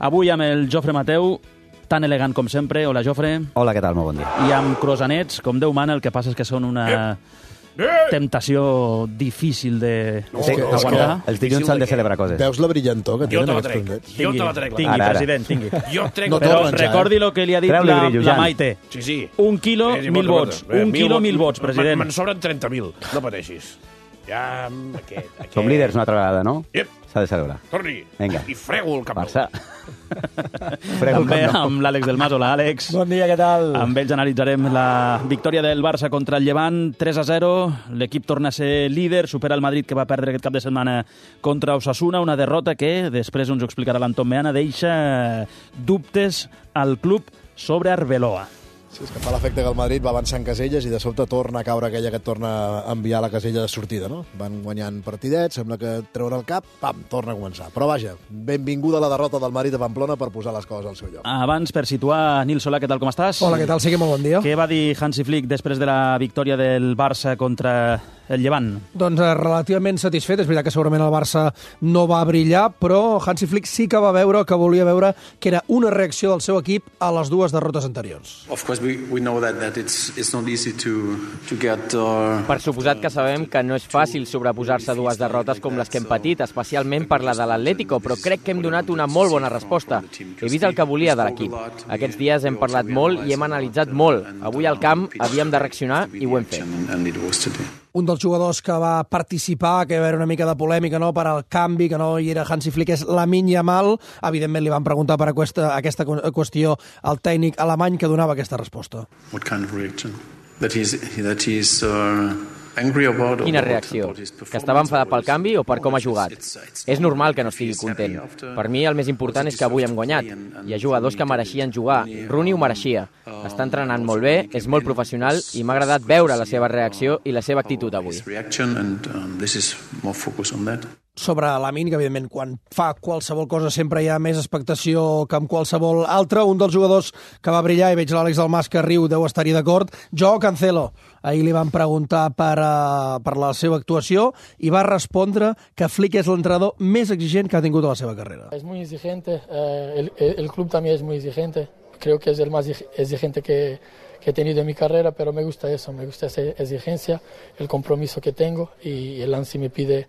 Avui amb el Jofre Mateu, tan elegant com sempre. Hola, Jofre. Hola, què tal? Molt bon dia. I amb croissants, com Déu mana, el que passa és que són una temptació difícil d'aguantar. Els dilluns s'han de celebrar coses. Veus la brillantor que tenen aquests croissants? Jo te la trec. Tingui, Ara. president, tingui. Jo trec No Però torna, recordi el que li ha dit Treu-li brillo, la Jan. Maite. Sí. 1 quilo, 1.000 vots. 1 quilo, 1.000 vots, president. Me'n sobren 30.000, no pateixis. Ja, aquest... Som líders una altra vegada, no? Yep. S'ha de celebrar. Torni. Vinga. I frego el cap. Barça. Frego el També Camp Nou. amb l'Àlex del Mas. Hola, Àlex. Bon dia, què tal? Amb ells analitzarem la victòria del Barça contra el Llevant, 3-0. L'equip torna a ser líder, supera el Madrid, que va perdre aquest cap de setmana contra Osasuna, una derrota que, després ens ho explicarà l'Anton Meana, deixa dubtes al club sobre Arbeloa. Sí, és que fa l'efecte que el Madrid va avançar en caselles i de sobte torna a caure aquella que et torna a enviar a la casella de sortida, no? Van guanyant partidets, sembla que treure el cap, pam, torna a començar. Però vaja, benvinguda la derrota del Madrid a Pamplona per posar les coses al seu lloc. Abans, per situar, Nil Solà, què tal, com estàs? Hola, què tal? Sí que molt bon dia. Què va dir Hansi Flick després de la victòria del Barça contra el Llevant? Doncs relativament satisfet. És veritat que segurament el Barça no va brillar, però Hansi Flick sí que va veure que volia veure que era una reacció del seu equip a les dues derrotes anteriors. Of course, we know that it's not easy to get. Per suposat que sabem que no és fàcil sobreposar-se a dues derrotes com les que hem patit, especialment per la de l'Atlético, però crec que hem donat una molt bona resposta. He vist el que volia de l'equip. Aquests dies hem parlat molt i hem analitzat molt. Avui al camp havíem de reaccionar i ho hem fet. Un dels jugadors que va participar, que va haver una mica de polèmica, no?, per al canvi, que no hi era Hansi Flick, és Lamine Yamal. Evidentment li van preguntar per aquesta qüestió al tècnic alemany, que donava aquesta resposta. What kind of reaction? That he's angry about. Quina reacció? Que estava enfadat pel canvi o per com ha jugat? És normal que no estigui content. Per mi el més important és que avui hem guanyat. Hi ha jugadors que mereixien jugar. Rooney ho mereixia. Està entrenant molt bé, és molt professional i m'ha agradat veure la seva reacció i la seva actitud avui. Sobre Lamine, que evidentment quan fa qualsevol cosa sempre hi ha més expectació que amb qualsevol altra. Un dels jugadors que va brillar, i veig l'Àlex del Mas que riu, deu estar-hi d'acord, Joao Cancelo. Ahir li van preguntar per la seva actuació i va respondre que Flick és l'entrenador més exigent que ha tingut a la seva carrera. Es muy exigente, el club también es muy exigente. Creo que es el más exigente que he tenido en mi carrera, pero me gusta eso, me gusta esa exigencia, el compromiso que tengo, y el ANSI me pide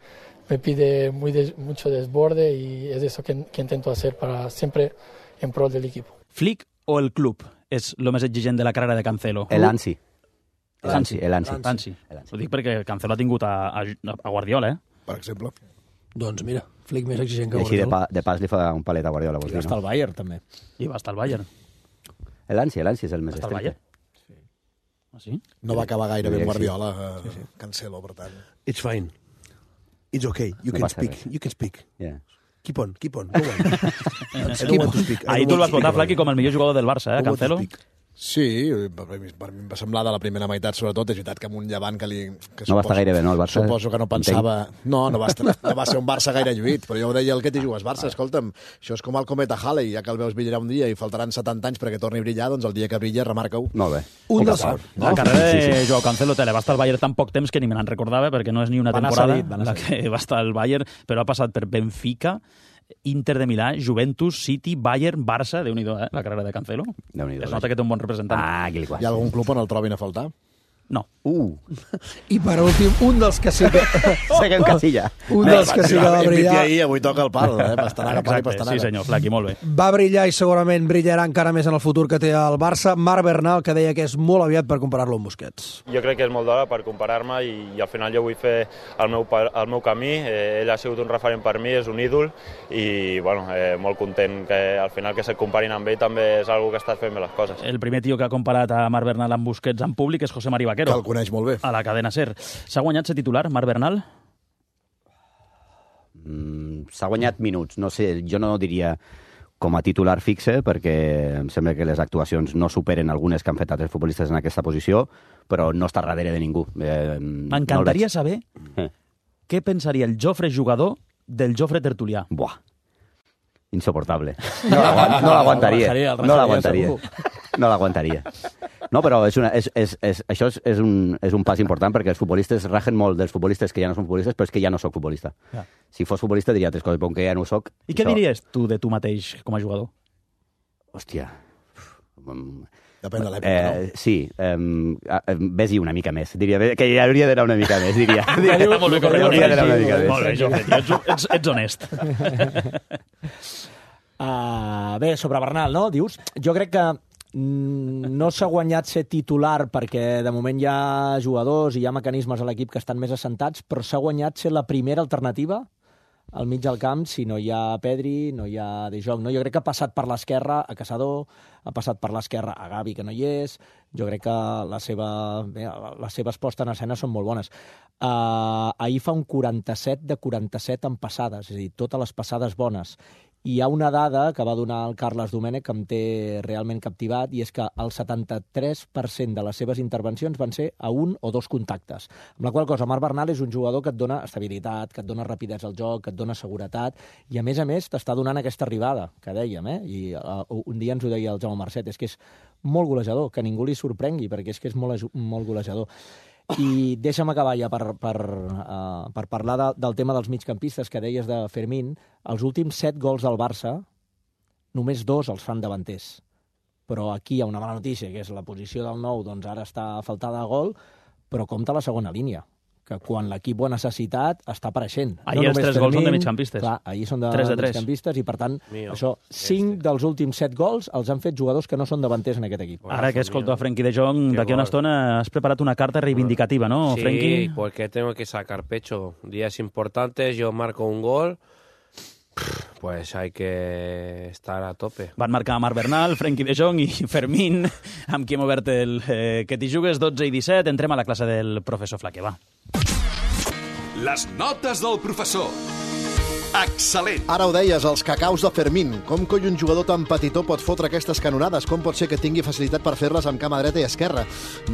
mucho desborde, y es eso que intento hacer para siempre en pro del equipo. Flick o el club és el més exigent de la carrera de Cancelo? El Ansi. Ansi. Ansi. Ho dic perquè Cancelo ha tingut a Guardiola, Per exemple. Doncs mira, Flick més exigent que I així Guardiola. de pas li fa un palet a Guardiola, vols dir, Està no? al Bayern, també. I va estar al Bayern. L'Ansi és el més Està al Bayern? Ah, sí? No va acabar gaire bé Guardiola, Cancelo, per tant. It's fine. It's okay. You No can passa speak. res. You can speak. Yeah. Keep on. Go on. I don't want to speak. Ahir tu el vas votar, Flaky, com el millor jugador del Barça, Cancelo? Sí, per mi em va semblar de la primera meitat, sobretot. És veritat que amb un Llevant que No va estar gaire bé, no, el Barça? Suposo que no pensava... No va ser un Barça gaire lluït, però jo ho deia el que t'hi jugues, Barça, escolta'm, això és com el cometa Halley, ja que el veus brillar un dia i faltaran 70 anys perquè torni a brillar, doncs el dia que brilla, remarca-ho. Molt bé. Un dels... La carrera de Joao Cancelo va estar al Bayern tan poc temps que ni me n'en recordava, perquè no és ni una Va anar temporada cedit, va anar la que va estar al Bayern, però ha passat per Benfica, Inter de Milà, Juventus, City, Bayern, Barça, Déu-n'hi-do, la carrera de Cancelo. Déu-n'hi-do. Es nota que té un bon representant. Ah, aquí li Hi ha algun club on el trobin a faltar? No. I per últim, un dels que sí que... Seguim Casilla. Un dels que sí que va brillar... ahir, avui toca el pal, pastanaga, pal i pastanaga. Sí, senyor, Flaky, molt bé. Va brillar i segurament brillarà encara més en el futur que té el Barça. Marc Bernal, que deia que és molt aviat per comparar-lo amb Busquets. Jo crec que és molt d'hora per comparar-me i al final jo vull fer el meu camí. Ell ha sigut un referent per mi, és un ídol i bueno, molt content que al final que se't comparin amb ell també és algo que estàs fent bé les coses. El primer tio que ha comparat a Marc Bernal amb Busquets en públic és José Mari Vaquero. Que el coneix molt bé. A la cadena SER. S'ha guanyat ser titular, Marc Bernal? S'ha guanyat minuts. No sé, jo no diria com a titular fixe, perquè em sembla que les actuacions no superen algunes que han fet altres futbolistes en aquesta posició, però no està darrere de ningú. M'encantaria saber què pensaria el Jofre jugador del Jofre tertulià. Buah. Insoportable. No l'aguantaria. No l'aguantaria. No, però això és un pas important perquè els futbolistes rajen molt dels futbolistes que ja no són futbolistes, però és que ja no sóc futbolista. Ja. Si fos futbolista diria 3 coses, però que ja no ho soc... I què diries tu de tu mateix com a jugador? Hòstia... Depèn de l'època, no? Sí, ves-hi una mica més. Diria que hi hauria d'anar una mica més, diria. Molt bé, molt bé, Jofre, ets honest. Bé, sobre Bernal, no? Dius, jo crec que no s'ha guanyat ser titular perquè de moment hi ha jugadors i hi ha mecanismes a l'equip que estan més assentats, però s'ha guanyat ser la primera alternativa al mig del camp si no hi ha Pedri, no hi ha De Jong. No? Jo crec que ha passat per l'esquerra a Caçador, ha passat per l'esquerra a Gavi, que no hi és. Jo crec que les seves postes en escena són molt bones. Ahir fa un 47 de 47 en passades, és a dir, totes les passades bones. I hi ha una dada que va donar el Carles Domènech que em té realment captivat, i és que el 73% de les seves intervencions van ser a 1 o 2 contactes. Amb la qual cosa, Marc Bernal és un jugador que et dona estabilitat, que et dona rapidesa al joc, que et dona seguretat, i a més t'està donant aquesta arribada, que dèiem, i un dia ens ho deia el Jaume Marcet, és que és molt golejador, que ningú li sorprengui, perquè és que és molt golejador. I deixa'm acabar ja per parlar del tema dels migcampistes que deies de Fermín. Els últims 7 gols del Barça, només 2 els fan davanters. Però aquí hi ha una mala notícia, que és la posició del 9, doncs ara està faltada de gol, però compta la segona línia, que quan l'equip ho ha necessitat està apareixent. Ahir els 3 gols són de migcampistes. Clar, ahir són de migcampistes i, per tant, 5 dels últims 7 gols els han fet jugadors que no són davanters en aquest equip. Ara que escolto a Frenkie de Jong, d'aquí a una estona has preparat una carta reivindicativa, ¿no, Frenkie? Sí, porque tengo que sacar pecho. Días importantes, yo marco un gol, pues hay que estar a tope. Van marcar Marc Bernal, Frenkie de Jong i Fermín, amb qui hem obert el que t'hi jugues 12 i 17. Entrem a la classe del professor Flaque, va. Les notes del professor. Excel·lent. Ara ho deies, els cacaus de Fermín. Com coi un jugador tan petitó pot fotre aquestes canonades? Com pot ser que tingui facilitat per fer-les amb cama dreta i esquerra?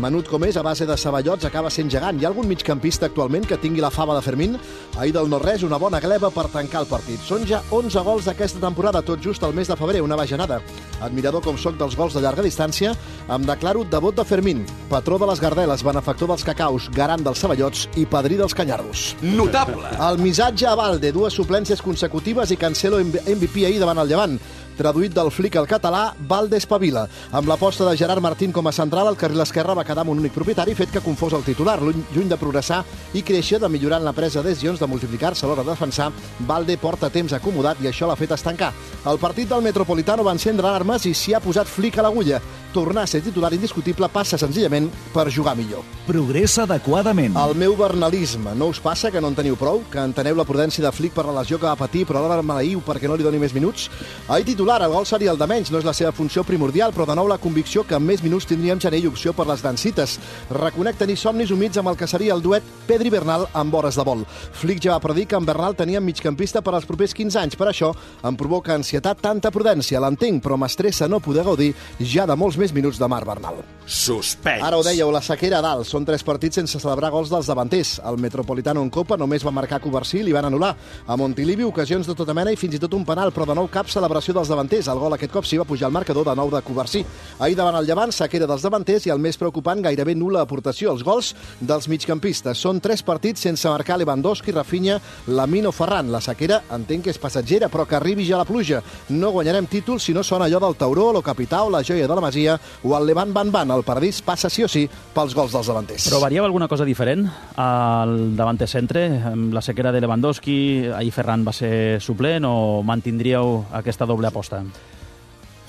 Menut com és, a base de ceballots, acaba sent gegant. Hi ha algun migcampista actualment que tingui la fama de Fermín? Ahir del no-res, una bona gleba per tancar el partit. Són ja 11 gols d'aquesta temporada, tot just al mes de febrer, una bajanada. Admirador com soc dels gols de llarga distància, em declaro devot de Fermín, patró de les gardeles, benefactor dels cacaus, garant dels ceballots i padrí dels canyarros. Notable. El missatge a Valde, 2 suplències consecutives i Cancelo MVP ahir davant el Llevant. Traduït del flic al català, Valde espavila. Amb l'aposta de Gerard Martín com a central, el carril esquerre va quedar amb un únic propietari, fet que confós el titular. Lluny de progressar i créixer, de millorar en la presa de decisions, de multiplicar-se a l'hora de defensar, Valde porta temps acomodat i això l'ha fet estancar. El partit del Metropolitano va encendre alarmes i s'hi ha posat flic a l'agulla. Tornar a ser titular indiscutible passa senzillament per jugar millor. Progressa adequadament. El meu bernalisme. No us passa que no en teniu prou? Que enteneu la prudència de Flick per la lesió que va patir, però alhora maleïu perquè no li doni més minuts? Ahir titular, el gol seria el de menys, no és la seva funció primordial, però de nou la convicció que amb més minuts tindríem Janell opció per les dancites. Reconec tenir somnis humits amb el que seria el duet Pedri-Bernal amb hores de vol. Flick ja va predir que amb Bernal teníem migcampista per als propers 15 anys. Per això em provoca ansietat tanta prudència. L'entenc, però m'estressa no poder gaudir ja de molts més minuts de Marc Bernal. Suspens. Ara ho dèieu, la sequera a dalt. Són 3 partits sense celebrar gols dels davanters. El Metropolitano en Copa només va marcar Covarsí i li van anul·lar. A Montilivi, ocasions de tota mena i fins i tot un penal, però de nou cap celebració dels davanters. El gol aquest cop sí va pujar al marcador de nou de Covarsí. Ahir davant el Llevant, sequera dels davanters i el més preocupant, gairebé nul·la aportació. Els gols dels migcampistes. Són 3 partits sense marcar Lewandowski, Rafinha, Lamine o Ferran. La sequera entenc que és passatgera, però que arribi ja la pluja. No guanyarem títols si no sona allò del Tauró, lo Capità o la Joia de la Masia o el Levant Van. El paradís passa sí o sí pels gols dels davanters. Però variava alguna cosa diferent al davanter centre? Amb la sequera de Lewandowski, ahir Ferran va ser suplent o mantindríeu aquesta doble aposta?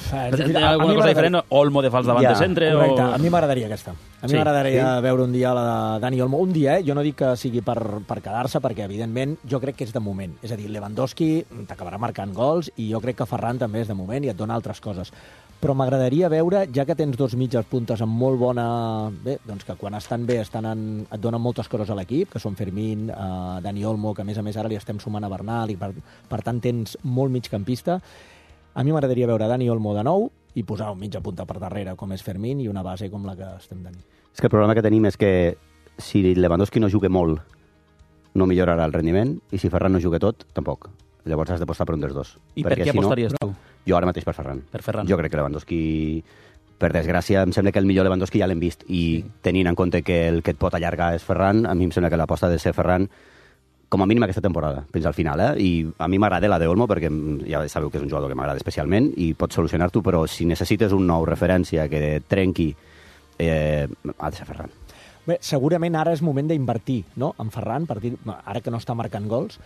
Alguna cosa diferent? Olmo de fals davant de centre? Correcte, a mi m'agradaria aquesta. A mi m'agradaria veure un dia la de Dani Olmo. Un dia, jo no dic que sigui per quedar-se, perquè evidentment jo crec que és de moment. És a dir, Lewandowski t'acabarà marcant gols i jo crec que Ferran també és de moment i et dona altres coses. Però m'agradaria veure, ja que tens 2 mitges puntes amb molt bona... Bé, doncs que quan estan bé et donen moltes coses a l'equip, que són Fermín, Dani Olmo, que a més ara li estem sumant a Bernal i per tant tens molt migcampista. A mi m'agradaria veure Dani Olmo de nou i posar un mitja punta per darrere, com és Fermín, i una base com la que estem tenint. És que el problema que tenim és que si Lewandowski no juga molt, no millorarà el rendiment, i si Ferran no juga tot, tampoc. Llavors has d'apostar per un dels dos. I per què apostaries tu? Jo ara mateix per Ferran. Per Ferran. Jo crec que Lewandowski per desgràcia, em sembla que el millor Lewandowski ja l'hem vist, i tenint en compte que el que et pot allargar és Ferran, a mi em sembla que l'aposta ha de ser Ferran, com a mínim aquesta temporada, fins al final, I a mi m'agrada la de Olmo, perquè ja sabeu que és un jugador que m'agrada especialment, i pot solucionar-t'ho, però si necessites un nou referència que trenqui, ha de ser Ferran. Bé, segurament ara és moment d'invertir, no?, en Ferran, ara que no està marcant gols,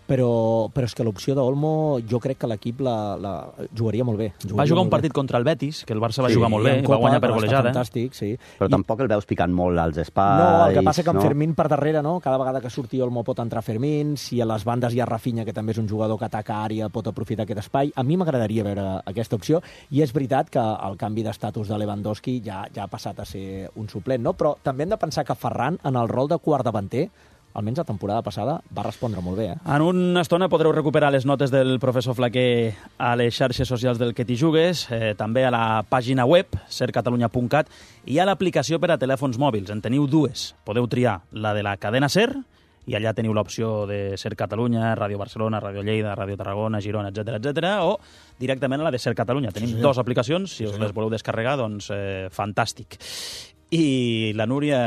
però és que l'opció d'Olmo jo crec que l'equip la jugaria molt bé. Va jugar un partit contra el Betis, que el Barça va jugar molt bé, va guanyar per golejada. Fantàstic, sí. Però tampoc el veus picant molt als espais. No, el que passa que amb Fermín per darrere, no? Cada vegada que surti Olmo pot entrar Fermín, si a les bandes hi ha Rafinha, que també és un jugador que ataca àrea, pot aprofitar aquest espai. A mi m'agradaria veure aquesta opció, i és veritat que el canvi d'estatus de Lewandowski ja ha passat a ser un suplent, no? Però també hem de pensar que Ferran, en el rol de quart davanter, almenys la temporada passada, va respondre molt bé. En una estona podreu recuperar les notes del professor Flaquer a les xarxes socials del Que t'hi jugues, també a la pàgina web, sercatalunya.cat, i a l'aplicació per a telèfons mòbils. En teniu dues. Podeu triar la de la cadena SER, i allà teniu l'opció de Ser Catalunya, Ràdio Barcelona, Ràdio Lleida, Ràdio Tarragona, Girona, etc, o directament a la de Ser Catalunya. Tenim dues aplicacions, si us les voleu descarregar, doncs fantàstic. I la Núria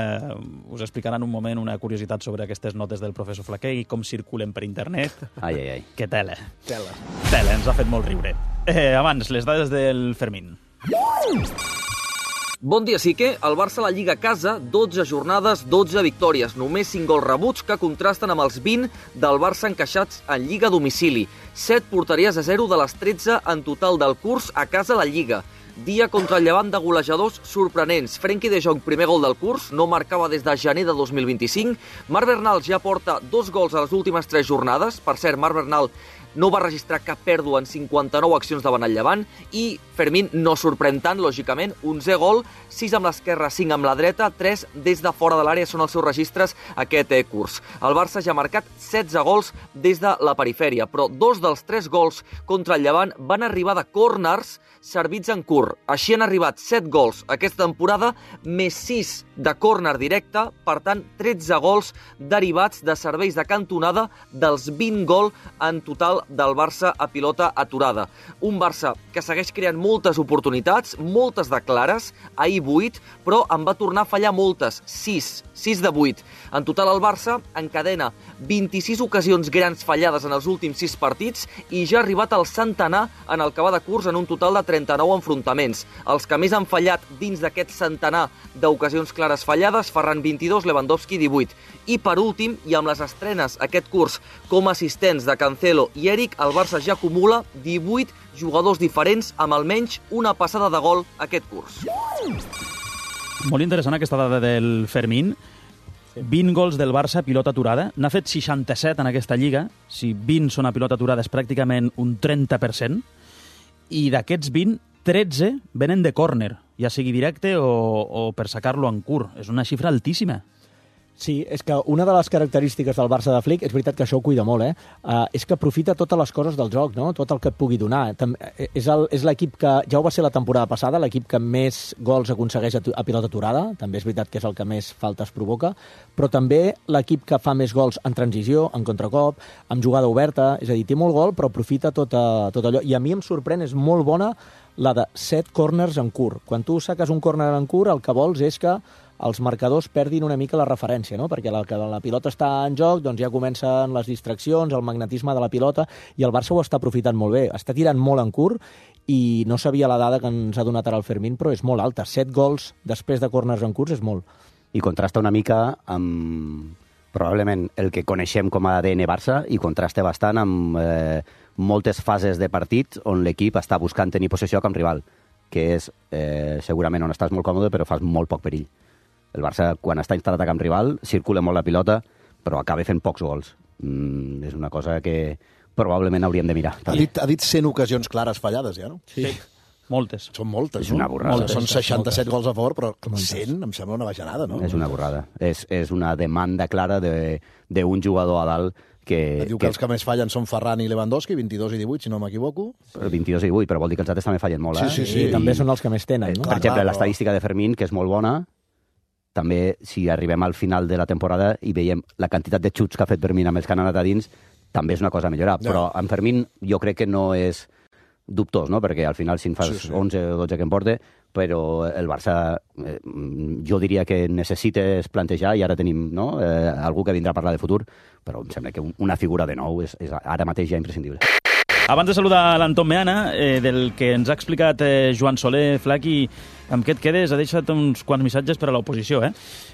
us explicarà en un moment una curiositat sobre aquestes notes del professor Flaquer i com circulen per internet. Ai. Que tela, ens ha fet molt riure. Abans, les dades del Fermín. Bon dia, Sique. El Barça a la Lliga a casa, 12 jornades, 12 victòries. Només 5 gols rebuts que contrasten amb els 20 del Barça encaixats en Lliga a domicili. 7 porteries a 0 de les 13 en total del curs a casa a la Lliga. Dia contra el Llevant de golejadors sorprenents. Frenkie de Jong, primer gol del curs, no marcava des de gener de 2025. Marc Bernal ja porta 2 gols a les últimes 3 jornades. Per cert, Marc Bernal no va registrar cap pèrdua en 59 accions davant el Llevant, i Fermín no sorprèn tant, lògicament, 11 gol, 6 amb l'esquerra, 5 amb la dreta, 3 des de fora de l'àrea són els seus registres aquest curs. El Barça ja ha marcat 16 gols des de la perifèria, però 2 dels 3 gols contra el Llevant van arribar de córners servits en curt. Així han arribat 7 gols aquesta temporada, més 6 de córner directe, per tant, 13 gols derivats de serveis de cantonada dels 20 gols en total del Barça a pilota aturada. Un Barça que segueix creant moltes oportunitats, moltes de clares, ahir 8, però en va tornar a fallar moltes, 6 de 8. En total el Barça encadena 26 ocasions grans fallades en els últims 6 partits i ja ha arribat al centenar en el que va de curs en un total de 39 enfrontaments. Els que més han fallat dins d'aquest centenar d'ocasions clares fallades, Ferran 22, Lewandowski 18. I per últim, i amb les estrenes aquest curs com a assistents de Cancelo i Eric, el Barça ja acumula 18 jugadors diferents amb almenys una passada de gol aquest curs. Molt interessant aquesta dada del Fermín. 20 gols del Barça a pilota aturada. N'ha fet 67 en aquesta lliga. Si 20 són a pilota aturada és pràcticament un 30%. I d'aquests 20, 13 venen de córner, ja sigui directe o per sacar-lo en curt. És una xifra altíssima. Sí, és que una de les característiques del Barça de Flick, és veritat que això ho cuida molt, és que aprofita totes les coses del joc, no? Tot el que et pugui donar. És l'equip que, ja ho va ser la temporada passada, l'equip que més gols aconsegueix a pilota aturada, també és veritat que és el que més faltes provoca, però també l'equip que fa més gols en transició, en contracop, amb jugada oberta, és a dir, té molt gol, però aprofita tot allò. I a mi em sorprèn, és molt bona la de 7 corners en curt. Quan tu saques un córner en curt, el que vols és que els marcadors perdin una mica la referència, no? Perquè la pilota està en joc, doncs ja comencen les distraccions, el magnetisme de la pilota, i el Barça ho està aprofitant molt bé. Està tirant molt en curt, i no sabia la dada que ens ha donat ara el Fermín, però és molt alta. 7 gols després de corners en curts és molt. I contrasta una mica amb probablement el que coneixem com a ADN Barça, i contrasta bastant amb moltes fases de partit on l'equip està buscant tenir possessió a camp rival, que és segurament on estàs molt còmode però fas molt poc perill. El Barça, quan està instal·lat a camp rival, circula molt la pilota, però acaba fent pocs gols. És una cosa que probablement hauríem de mirar. Ha dit 100 ocasions clares fallades, ja, no? Sí. Moltes. Són moltes, és una borrada. Són 67 gols a favor, però 100 em sembla una bajanada, no? És una borrada. És una demanda clara d'un jugador a dalt que... Diu que els que més fallen són Ferran i Lewandowski, 22 i 18, si no m'equivoco. 22 i 18, però vol dir que els altres també fallen molt, Sí. I també són els que més tenen, no? Per exemple, l'estadística de Fermín, que és molt bona, també, si arribem al final de la temporada i veiem la quantitat de xuts que ha fet Fermín amb els que han anat a dins, també és una cosa a millorar. Però en Fermín jo crec que no és dubtós, no? Perquè al final, si en fas 11 o 12 que em porta, però el Barça, jo diria que necessites plantejar, i ara tenim algú que vindrà a parlar de futur, però em sembla que una figura de nou és ara mateix ja imprescindible. Abans de saludar l'Anton Meana, del que ens ha explicat Joan Soler, Flaqui, amb què et quedes? Ha deixat uns quants missatges per a l'oposició, eh?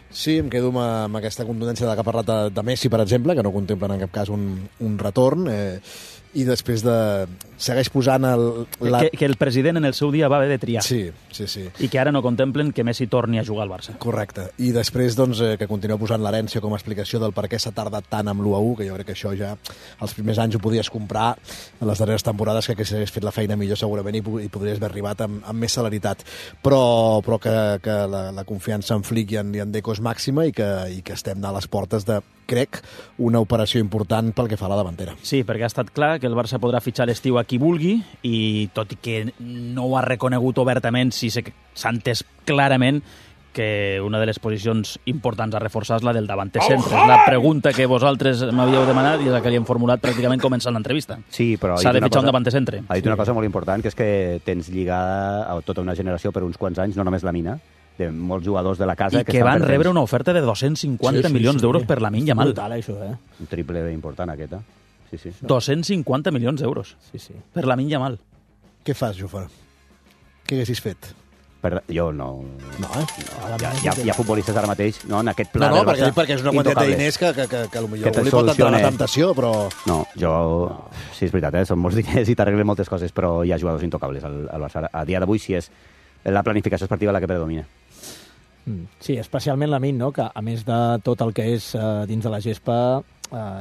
Sí, em quedo amb aquesta contundència de que ha parlat de Messi, per exemple, que no contemplen en cap cas un retorn, i després segueix posant que el president en el seu dia va haver de triar. Sí. I que ara no contemplen que Messi torni a jugar al Barça. Correcte. I després que continueu posant l'herència com a explicació del per què s'ha tardat tant amb l'1-1, que jo crec que això ja els primers anys ho podies comprar, en les darreres temporades que s'hagués fet la feina millor segurament i podries haver arribat amb més celeritat. Però que la confiança en Flick i en Deco és màxima i que estem a les portes de, crec, una operació important pel que fa a la davantera. Sí, perquè ha estat clar que el Barça podrà fitxar l'estiu a qui vulgui, i tot i que no ho ha reconegut obertament, sí s'ha entès clarament que una de les posicions importants a reforçar és la del davanter centre. És la pregunta que vosaltres m'havíeu demanat i és la que li hem formulat pràcticament començant l'entrevista. Sí, però s'ha de fitxar un davanter centre. Ha dit una cosa molt important, que és que tens lligada a tota una generació per uns quants anys, no només la Mina, de molts jugadors de la casa... I que van rebre una oferta de 250 milions d'euros per Lamine Yamal. Brutal, això, eh? Un triple important, aquesta. Sí. 250 milions d'euros per Lamine Yamal. Què fas, Jofre? Què haguessis fet? Jo no... Hi ha futbolistes ara mateix, no, en aquest pla del Barça, perquè és una quantitat de diners que potser li pot entrar la temptació, però... No, sí, és veritat, són molts diners i t'arreglen moltes coses, però hi ha jugadors intocables al Barça. A dia d'avui sí és la planificació esportiva la que predomina. Sí, especialment Lamine, no? Que a més de tot el que és dins de la gespa,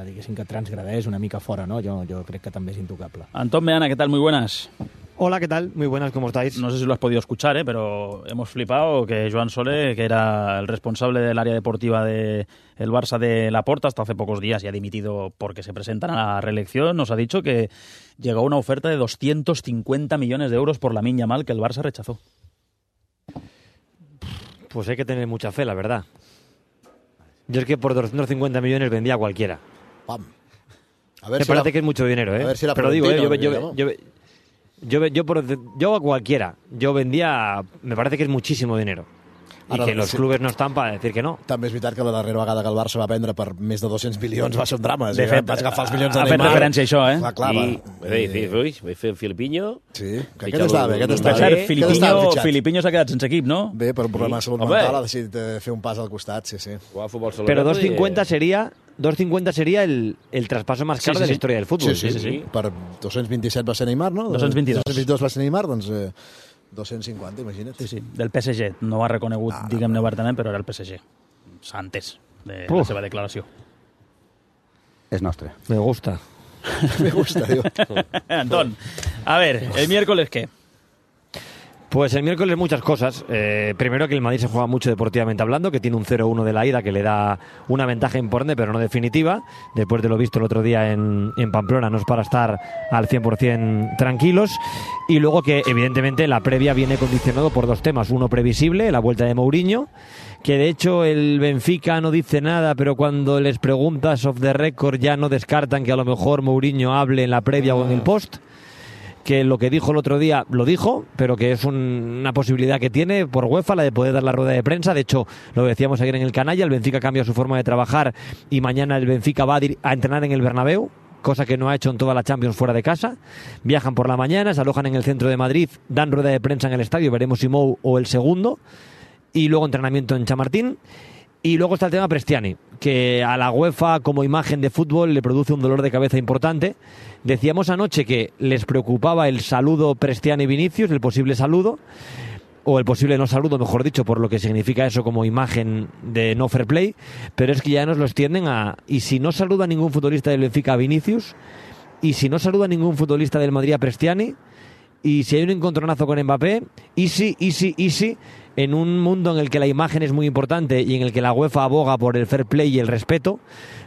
diguéssim que transgredeix una mica fora, ¿no? Yo creo que también es intocable. Antón Meana, ¿qué tal? Muy buenas. Hola, ¿qué tal? Muy buenas, ¿cómo estáis? No sé si lo has podido escuchar, pero hemos flipado que Joan Sole, que era el responsable del área deportiva del Barça de Laporta hasta hace pocos días y ha dimitido porque se presentan a la reelección, nos ha dicho que llegó una oferta de 250 millones de euros por Lamine Yamal que el Barça rechazó. Pues hay que tener mucha fe, la verdad. Yo es que por 250 millones vendía a cualquiera. Pam. A ver, me parece que es mucho dinero, ¿eh? A ver si pero digo, yo a cualquiera. Yo vendía, me parece que es muchísimo dinero. I que els clubs no estan per dir que no. També és veritat que la darrera vegada que el Barça va vendre per més de 200 milions va ser un drama. De fet, vas agafar els milions de Neymar. Neymar. Ha fet referència a això, eh? Vaig fer el Filipinho. Sí, que aquest estava bé. Filipinho s'ha quedat sense equip, no? Bé, per un problema de salut mental ha decidit fer un pas al costat, sí. Però 250 sería el traspaso más caro de la historia del fútbol. Sí. Per 227 va ser Neymar, no? 222 va ser Neymar, doncs 250, imagina't. Sí, del PSG. No ho ha reconegut, diguem-ne obertament, però era el PSG. S'ha entès de la seva declaració. És nostre. Me gusta. Me gusta, digo. Antón, a ver, ¿el miércoles qué? Pues el miércoles muchas cosas. Primero que el Madrid se juega mucho deportivamente hablando, que tiene un 0-1 de la ida que le da una ventaja importante, pero no definitiva. Después de lo visto el otro día en Pamplona, no es para estar al 100% tranquilos. Y luego que evidentemente la previa viene condicionado por dos temas. Uno previsible, la vuelta de Mourinho, que de hecho el Benfica no dice nada, pero cuando les preguntas off the record ya no descartan que a lo mejor Mourinho hable en la previa o en el post. Que lo que dijo el otro día lo dijo, pero que es una posibilidad que tiene por UEFA, la de poder dar la rueda de prensa. De hecho, lo decíamos ayer en el canalla, el Benfica cambia su forma de trabajar y mañana el Benfica va a entrenar en el Bernabéu, cosa que no ha hecho en toda la Champions fuera de casa. Viajan por la mañana, se alojan en el centro de Madrid, dan rueda de prensa en el estadio, veremos si Mou o el segundo, y luego entrenamiento en Chamartín. Y luego está el tema Prestiani, que a la UEFA como imagen de fútbol le produce un dolor de cabeza importante. Decíamos anoche que les preocupaba el saludo Prestiani-Vinicius, el posible saludo, o el posible no saludo, mejor dicho, por lo que significa eso como imagen de no fair play, pero es que ya nos lo extienden a... Y si no saluda ningún futbolista del Benfica a Vinicius, y si no saluda ningún futbolista del Madrid a Prestiani, y si hay un encontronazo con Mbappé, easy, en un mundo en el que la imagen es muy importante y en el que la UEFA aboga por el fair play y el respeto,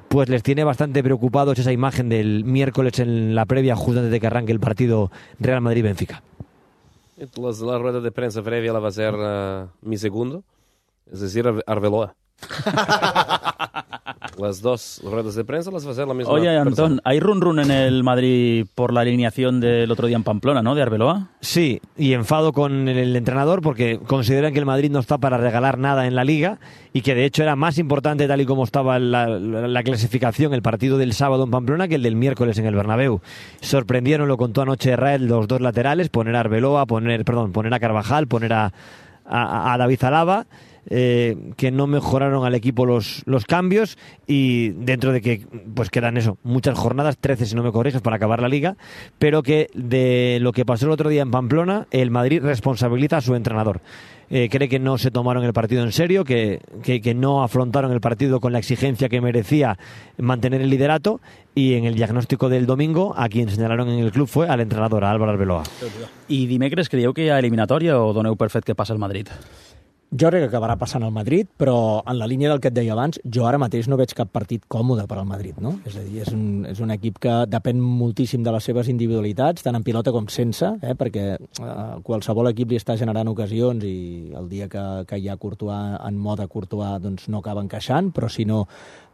pues les tiene bastante preocupados esa imagen del miércoles en la previa, justo antes de que arranque el partido Real Madrid-Benfica. La rueda de prensa previa la va a ser mi segundo, es decir, Arbeloa. las dos ruedas de prensa las va a hacer la misma Oye, persona. Antón, ¿hay run en el Madrid por la alineación del otro día en Pamplona, ¿no? De Arbeloa. Sí, y enfado con el entrenador porque consideran que el Madrid no está para regalar nada en la Liga y que de hecho era más importante, tal y como estaba la clasificación, el partido del sábado en Pamplona que el del miércoles en el Bernabéu. Sorprendieron, lo contó anoche Rael, los dos laterales, poner a Arbeloa, poner a Carvajal, poner a David Alaba. Que no mejoraron al equipo los cambios, y dentro de que pues quedan muchas jornadas, 13 si no me corriges, para acabar la Liga, pero que de lo que pasó el otro día en Pamplona, el Madrid responsabiliza a su entrenador. Cree que no se tomaron el partido en serio, que no afrontaron el partido con la exigencia que merecía mantener el liderato, y en el diagnóstico del domingo a quien señalaron en el club fue al entrenador, a Álvaro Arbeloa. I dimecres creieu que hi ha eliminatòria o doneu per fet que passa el Madrid? Jo crec que acabarà passant al Madrid, però en la línia del que et deia abans, jo ara mateix no veig cap partit còmode per al Madrid, no? És a dir, és un equip que depèn moltíssim de les seves individualitats, tant en pilota com sense, perquè qualsevol equip li està generant ocasions i el dia que hi ha Courtois en mode Courtois doncs no acaba encaixant, però si no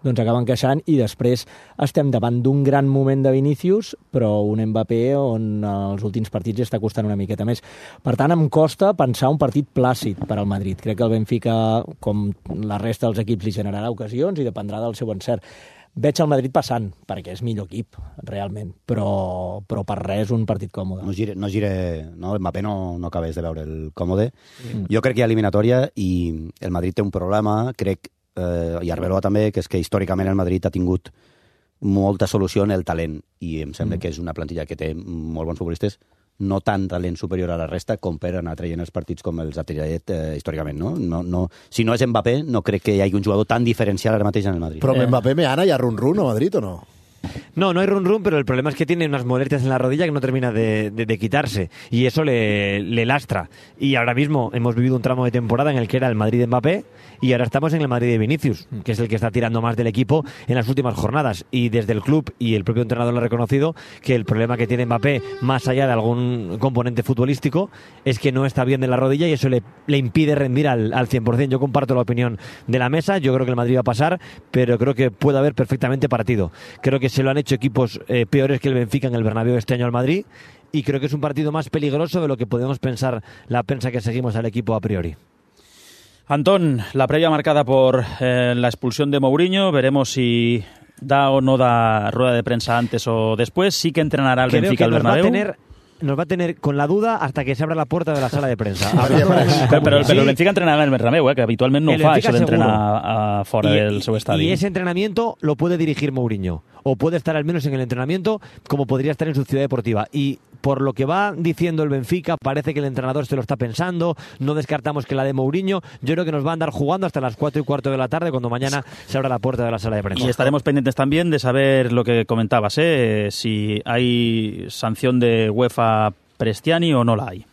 doncs acaba encaixant, i després estem davant d'un gran moment de Vinícius, però un Mbappé on els últims partits està costant una miqueta més. Per tant, em costa pensar un partit plàcid per al Madrid. Crec que el Benfica, com la resta dels equips, li generarà ocasions i dependrà del seu encert. Veig el Madrid passant, perquè és millor equip, realment, però per res un partit còmode. Mbappé no acabés de veure el còmode. Jo crec que hi ha eliminatòria i el Madrid té un problema, crec, i Arbeloa també, que és que històricament el Madrid ha tingut molta solució en el talent, i em sembla que és una plantilla que té molt bons futbolistes, no tant talent superior a la resta com per anar traient els partits com els ha tret històricament, no? Si no és Mbappé, no crec que hi hagi un jugador tan diferencial ara mateix en el Madrid. Però amb Mbappé Meana hi ha run-run a Madrid o no? No hay run-run, pero el problema es que tiene unas molestias en la rodilla que no termina de quitarse, y eso le lastra. Y ahora mismo hemos vivido un tramo de temporada en el que era el Madrid de Mbappé, y ahora estamos en el Madrid de Vinícius, que es el que está tirando más del equipo en las últimas jornadas. Y desde el club y el propio entrenador lo ha reconocido, que el problema que tiene Mbappé, más allá de algún componente futbolístico, es que no está bien de la rodilla, y eso le impide rendir al 100%. Yo comparto la opinión de la mesa, yo creo que el Madrid va a pasar, pero creo que puede haber perfectamente partido. Creo que se lo han hecho equipos peores que el Benfica en el Bernabéu este año al Madrid, y creo que es un partido más peligroso de lo que podemos pensar la prensa que seguimos al equipo a priori. Antón, la previa marcada por la expulsión de Mourinho, veremos si da o no da rueda de prensa antes o después. Sí que entrenará el Benfica al Bernabéu. Nos va a tener con la duda hasta que se abra la puerta de la sala de prensa. Pero el Benfica entrenarà en el Bernabéu, que habitualment no fa això d'entrenar fora del seu estadi. Y ese entrenamiento lo puede dirigir Mourinho, o puede estar al menos en el entrenamiento, como podría estar en su ciudad deportiva. Y por lo que va diciendo el Benfica, parece que el entrenador se lo está pensando, no descartamos que la de Mourinho. Yo creo que nos va a andar jugando hasta las 4:15 de la tarde, cuando mañana se abra la puerta de la sala de prensa. Y estaremos pendientes también de saber lo que comentabas, si hay sanción de UEFA Prestiani o no la hay.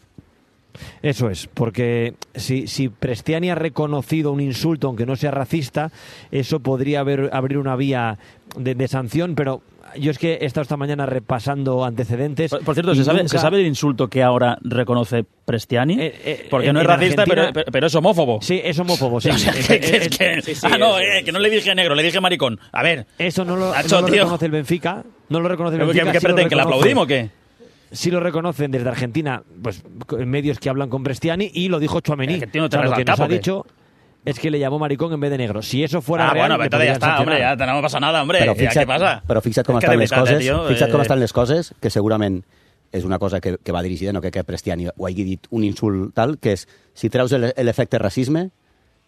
Eso es, porque si Prestiani ha reconocido un insulto, aunque no sea racista, eso podría abrir una vía de sanción, pero yo es que he estado esta mañana repasando antecedentes. Por cierto, ¿se sabe el insulto que ahora reconoce Prestiani? Porque no es racista, pero es homófobo. Sí, es homófobo, sí. Que no le dije negro, le dije maricón. A ver. Eso no lo reconoce el Benfica. No lo reconoce el Benfica. ¿Qué pretenden, que le aplaudimos o qué? Sí lo reconocen desde Argentina, pues medios que hablan con Prestiani, y lo dijo Tchouaméni. Lo que nos ha dicho es que le llamó maricón en vez de negro. Si eso fuera real... Bueno, pero ya está, hombre, ya no passa nada, hombre. ¿Qué pasa? Però fixa't com estan les coses, com estan les coses, que segurament és una cosa que va dirigida, no que Prestiani ho hagi dit un insult tal, que és, si treus l'efecte racisme,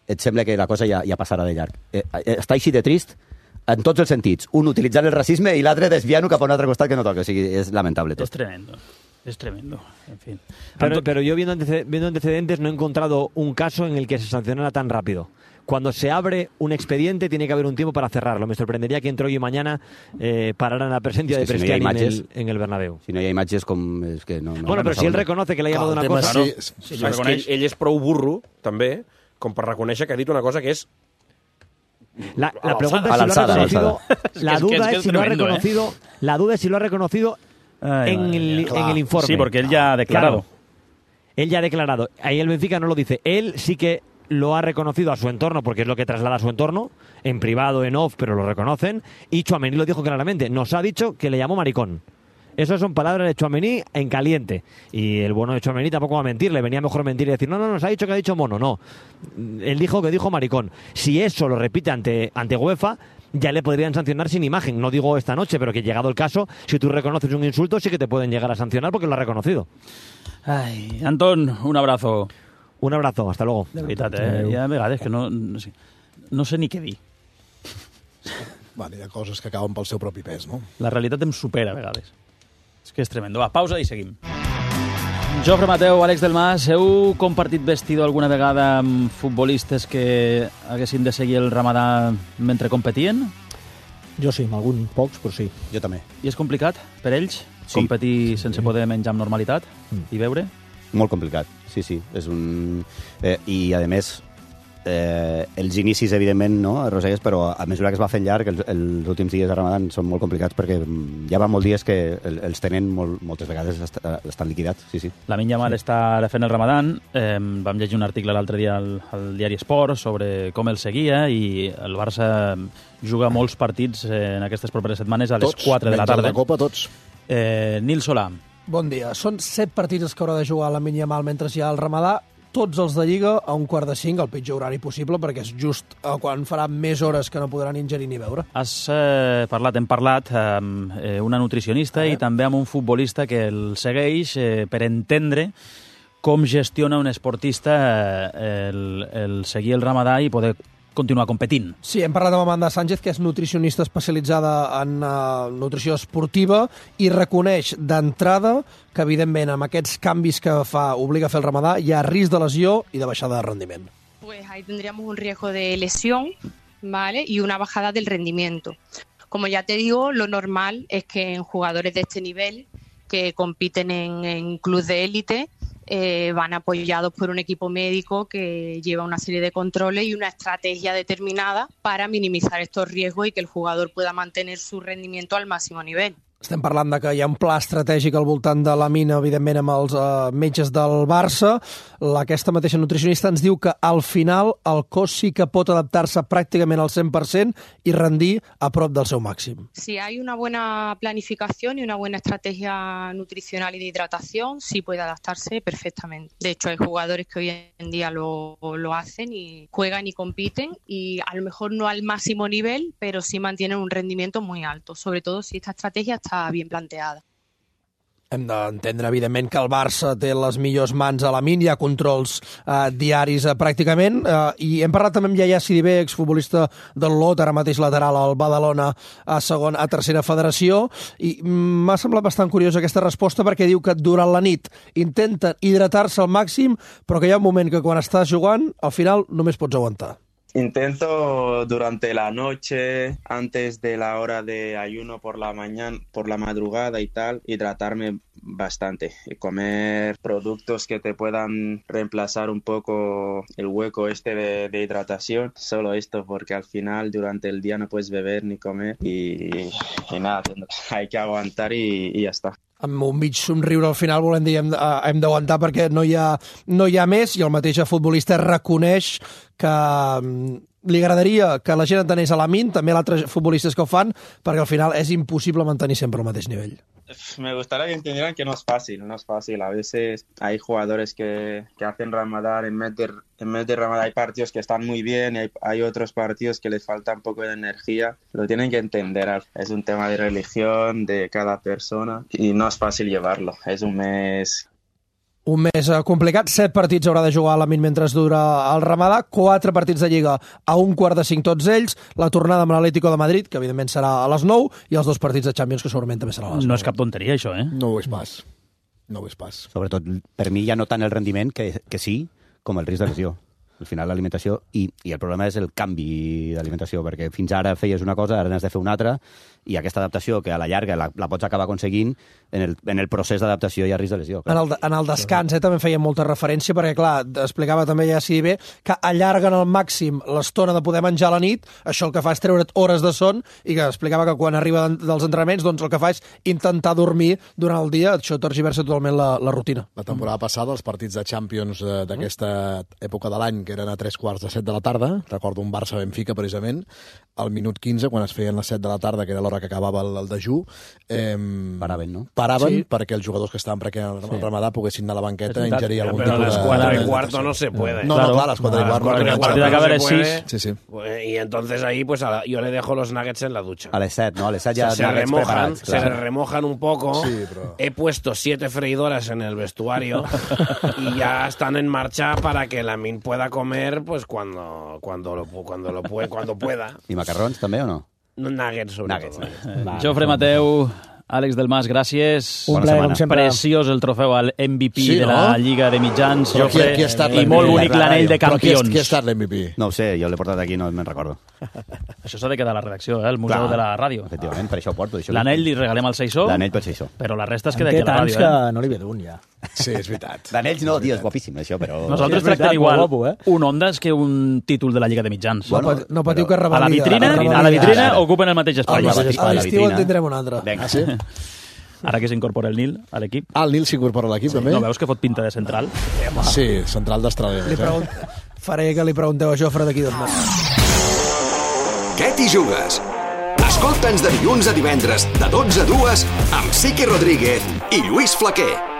et sembla que la cosa ja passarà de llarg. Està així de trist en tots els sentits. Un utilitzant el racisme i l'altre desviant-ho cap a un altre costat que no toca. O sigui, és lamentable tot. Es tremendo, en fin. Pero yo viendo antecedentes no he encontrado un caso en el que se sancionara tan rápido. Cuando se abre un expediente tiene que haber un tiempo para cerrarlo. Me sorprendería que entre hoy y mañana pararan la presencia de Prestiani en el Bernabéu. Si no hi ha imatges com... És que no, bueno, però si él reconoce que le ha llamado una cosa... Sí, és que ell és prou burro, també, com per reconèixer que ha dit una cosa que és... La pregunta es si lo ha reconocido. La duda es si lo ha reconocido. La duda es si lo ha reconocido en el informe. Sí, porque él ya ha declarado. Claro. Él ya ha declarado. Ahí el Benfica no lo dice. Él sí que lo ha reconocido a su entorno, porque es lo que traslada a su entorno, en privado, en off, pero lo reconocen, y Tchouaméni lo dijo claramente, nos ha dicho que le llamó maricón. Esas son palabras de Tchouaméni en caliente. Y el bueno de Tchouaméni tampoco va a mentir. Le venía mejor mentir y decir, no, nos ha dicho que ha dicho mono. No. Él dijo que dijo maricón. Si eso lo repite ante UEFA, ya le podrían sancionar sin imagen. No digo esta noche, pero que llegado el caso, si tú reconoces un insulto, sí que te pueden llegar a sancionar porque lo ha reconocido. Ai, Anton, un abrazo. Un abrazo, hasta luego. De veritat, hi ha vegades que no sé ni què dir. Bueno, hi ha coses que acaben pel seu propi pes, no? La realitat em supera a vegades. És que és tremendo. Va, pausa i seguim. Jofre Mateu, Àlex del Mas, heu compartit vestidor alguna vegada amb futbolistes que haguessin de seguir el ramadà mentre competien? Jo sí, amb alguns pocs, però sí. Jo també. I és complicat per ells competir sense poder menjar amb normalitat i beure? Molt complicat, sí. És un... I, a més, els inicis, evidentment, no, Roselles, però a mesura que es va fent llarg, els últims dies de Ramadan són molt complicats perquè ja van molts dies que els tenen moltes vegades estan liquidats, sí. Lamine Yamal està ara fent el Ramadan. Vam llegir un article l'altre dia al diari Esport sobre com el seguia i el Barça juga molts partits en aquestes properes setmanes a les 4 de la tarda. Tots, menys el de Copa, tots. Nil Solà. Bon dia. Són 7 partits que haurà de jugar Lamine Yamal mentre hi ha el Ramadà, tots els de Lliga a 4:45, el pitjor horari possible, perquè és just quan farà més hores que no podran ingerir ni beure. Hem parlat amb una nutricionista i també amb un futbolista que el segueix per entendre com gestiona un esportista el seguir el Ramadà i poder continuar competint. Sí, hem parlat amb Amanda Sánchez, que és nutricionista especialitzada en nutrició esportiva i reconeix d'entrada que, evidentment, amb aquests canvis que obliga a fer el Ramadà, hi ha risc de lesió i de baixada de rendiment. Pues ahí tendríamos un riesgo de lesión, ¿vale? Y una bajada del rendimiento. Como ya te digo, lo normal es que en jugadores de este nivel que compiten en clubes de élite van apoyados por un equipo médico que lleva una serie de controles y una estrategia determinada para minimizar estos riesgos y que el jugador pueda mantener su rendimiento al máximo nivel. Estem parlant de que hi ha un pla estratègic al voltant de la mina, evidentment, amb els metges del Barça. Aquesta mateixa nutricionista ens diu que al final el cos sí que pot adaptar-se pràcticament al 100% i rendir a prop del seu màxim. Si hay una buena planificación y una buena estrategia nutricional y de hidratación, sí puede adaptarse perfectamente. De hecho, hay jugadores que hoy en día lo hacen y juegan y compiten y a lo mejor no al máximo nivel, pero sí mantienen un rendimiento muy alto, sobre todo si esta estrategia está bien planteada. Hem d'entendre, evidentment, que el Barça té les millors mans a la min, hi ha controls diaris pràcticament, i hem parlat també amb Yaya Sidibé, exfutbolista del Lot, ara mateix lateral al Badalona a tercera federació, i m'ha semblat bastant curiosa aquesta resposta perquè diu que durant la nit intenten hidratar-se al màxim, però que hi ha un moment que quan estàs jugant, al final només pots aguantar. Intento durante la noche, antes de la hora de ayuno por la mañana, por la madrugada y tal, hidratarme bastante y comer productos que te puedan reemplazar un poco el hueco de hidratación. Solo esto, porque al final durante el día no puedes beber ni comer y nada, hay que aguantar y ya está. Amb un mig somriure al final volem dir hem d'aguantar perquè no hi ha més, i el mateix futbolista reconeix que li agradaria que la gent entenés a Lamine, també altres futbolistes que ho fan, perquè al final és impossible mantenir sempre el mateix nivell. Me gustaría que entendieran que no es fácil. A veces hay jugadores que hacen Ramadán, en vez de Ramadán hay partidos que están muy bien, y hay otros partidos que les falta un poco de energía. Lo tienen que entender. Es un tema de religión de cada persona y no es fácil llevarlo. Es un mes... Un mes complicat, 7 partits haurà de jugar Lamine mentre dura el Ramadà, 4 partits de Lliga a 4:45 tots ells, la tornada amb l'Atlético de Madrid, que evidentment serà a les 9, i els 2 partits de Champions, que segurament també serà a les 9. No és cap tonteria, això, eh? No ho és pas. Sobretot, per mi ja no tant el rendiment que sí, com el risc de lesió. Al final l'alimentació, i el problema és el canvi d'alimentació, perquè fins ara feies una cosa, ara n'has de fer una altra, i aquesta adaptació, que a la llarga la pots acabar aconseguint, en el procés d'adaptació hi ha risc de lesió. En el descans també feia molta referència, perquè, clar, explicava també ja si bé que allarguen al màxim l'estona de poder menjar a la nit, això el que fa és treure't hores de son, i que explicava que quan arriba dels entrenaments, doncs el que fa és intentar dormir durant el dia, això tergiversa totalment la rutina. La temporada passada, els partits de Champions d'aquesta època de l'any, que eren a 3:15 de la tarda, recordo un Barça-Benfica, precisament, al minut 15, quan es feien les 7 de la tarda, que era l'hora que acabava el dejú, paraven, no? Paraven perquè els jugadors que estaven prequent el ramadà poguessin anar a la banqueta a ingerir algun Pero tipus a las 4:15 no se puede. No, claro, a las 4:15 no se puede. Sí, sí. Y entonces ahí pues yo le dejo los nuggets en la ducha. A les 7, no? A les 7 ja se remojan un poco. Sí, pero... He puesto 7 freidoras en el vestuario y ya están en marcha para que Lamine pueda comer pues cuando pueda. I macarrons també o no? Nuggets, Nuggets. Jofre Mateu, Àlex Delmas, gràcies. Un plaer, com sempre. Preciós el trofeu al MVP de la Lliga de Mitjans, Però Jofre, qui ha estat i molt bonic l'anell de campions. Qui ha estat l'MVP? No ho sé, jo l'he portat aquí, no me'n recordo. Això s'ha de quedar a la redacció, el museu de la ràdio. Efectivament, per això ho porto. L'anell li regalem al Seixó, l'anell pel Seixó. però la resta es En queda té aquí a la tants ràdio. que no li ve d'un, ja. Sí, és veritat. D'anells no, tio, és guapíssim, això, però... Nosaltres Sí, és veritat, tractem igual molt guapo, un Ondas que un títol de la Lliga de Mitjans. Bueno, No patiu que A la revalida. vitrina ocupen el mateix espai. A l'estiu en tindrem un altre. Vinga, sí. Ara que s'incorpora el Nil a l'equip. El Nil s'incorpora a l'equip, també? No veus que fot pinta de central? Sí, central d'Austràlia. Faré que li pregunteu a Jofre d'aquí 2 mesos. Què t'hi jugues? Escolta'ns de dilluns a divendres, de 12 a 2, amb Sique Rodríguez i Lluís Flaquer.